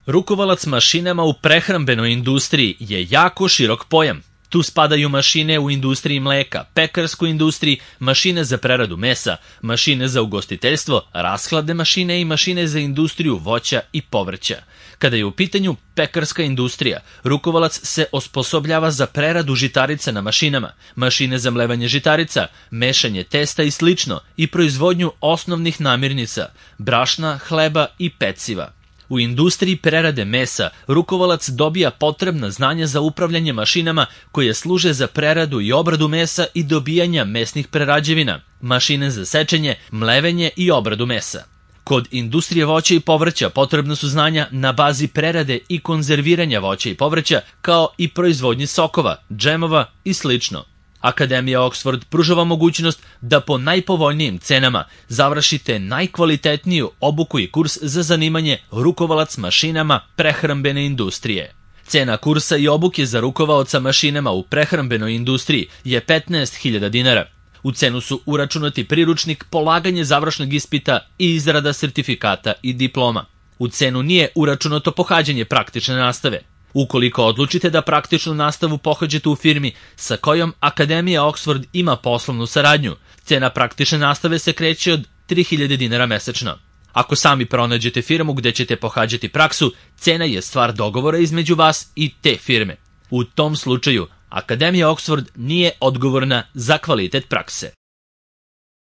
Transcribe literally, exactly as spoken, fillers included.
Rukovalac mašinama u prehrambenoj industriji je jako širok pojam. Tu spadaju mašine u industriji mleka, pekarskoj industriji, mašine za preradu mesa, mašine za ugostiteljstvo, rashladne mašine i mašine za industriju voća i povrća. Kada je u pitanju pekarska industrija, rukovalac se osposobljava za preradu žitarica na mašinama, mašine za mlevanje žitarica, mešanje testa i slično i proizvodnju osnovnih namirnica, brašna, hleba i peciva. U industriji prerade mesa rukovalac dobija potrebna znanja za upravljanje mašinama koje služe za preradu i obradu mesa i dobijanja mesnih prerađevina, mašine za sečenje, mlevenje i obradu mesa. Kod industrije voća i povrća potrebna su znanja na bazi prerade i konzerviranja voća i povrća, kao i proizvodnji sokova, džemova i slično. Akademija Oxford pruža vam mogućnost da po najpovoljnijim cenama završite najkvalitetniju obuku i kurs za zanimanje rukovalac mašinama prehrambene industrije. Cena kursa i obuke za rukovaoca mašinama u prehrambenoj industriji je petnaest hiljada dinara. U cenu su uračunati priručnik, polaganje završnog ispita i izrada sertifikata i diploma. U cenu nije uračunato pohađanje praktične nastave. Ukoliko odlučite da praktičnu nastavu pohađate u firmi sa kojom Akademija Oxford ima poslovnu saradnju, cena praktične nastave se kreće od tri hiljade dinara mesečno. Ako sami pronađete firmu gde ćete pohađati praksu, cena je stvar dogovora između vas i te firme. U tom slučaju, Akademija Oxford nije odgovorna za kvalitet prakse.